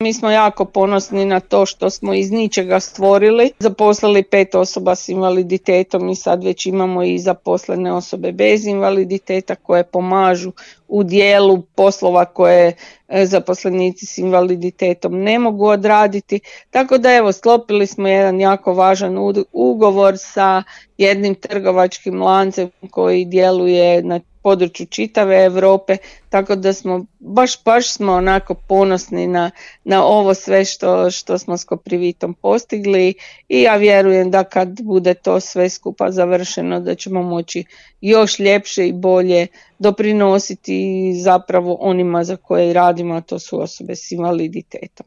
Mi smo jako ponosni na to što smo iz ničega stvorili, zaposlili 5 osoba s invaliditetom i sad već imamo i zaposlene osobe bez invaliditeta koje pomažu u dijelu poslova koje zaposlenici s invaliditetom ne mogu odraditi. Tako da evo, sklopili smo jedan jako važan ugovor sa jednim trgovačkim lancem koji djeluje na području čitave Europe, tako da smo baš smo onako ponosni na ovo sve što smo s Koprivitom postigli i ja vjerujem da kad bude to sve skupa završeno da ćemo moći još ljepše i bolje doprinositi zapravo onima za koje radimo, a to su osobe s invaliditetom.